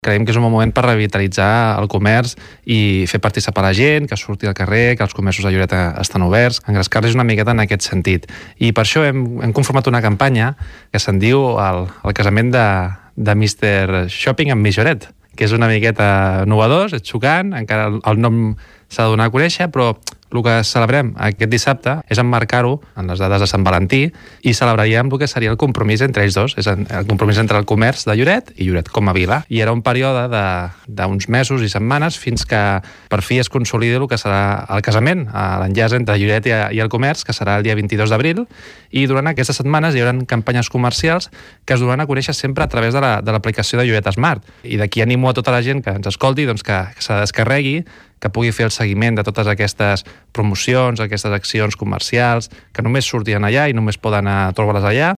Creiem que és un bon moment per revitalitzar el comerç i fer participar la gent, que surti al carrer, que els comerços de Lloret estan oberts, engrescar-los una miqueta en aquest sentit. I per això hem conformat una campanya que se'n diu el casament de Mr. Shopping amb Miss Lloret, que és una miqueta novedós, és xocant, encara el nom s'ha de donar a conèixer, però el que celebrem aquest dissabte és emmarcar-ho en les dades de Sant Valentí i celebraríem el que seria el compromís entre ells dos, és el compromís entre el comerç de Lloret i Lloret com a vila. I era un període d'uns mesos i setmanes fins que per fi es consolidi el que serà el casament, l'enllaç entre Lloret i el comerç, que serà el dia 22 d'abril, i durant aquestes setmanes hi haurà campanyes comercials que es donaran a conèixer sempre a través de l'aplicació de Lloret Smart. I d'aquí animo a tota la gent que ens escolti que se la descarregui, que pugui fer el seguiment de totes aquestes promocions, aquestes accions comercials, que només sortien allà i només poden trobar-les allà,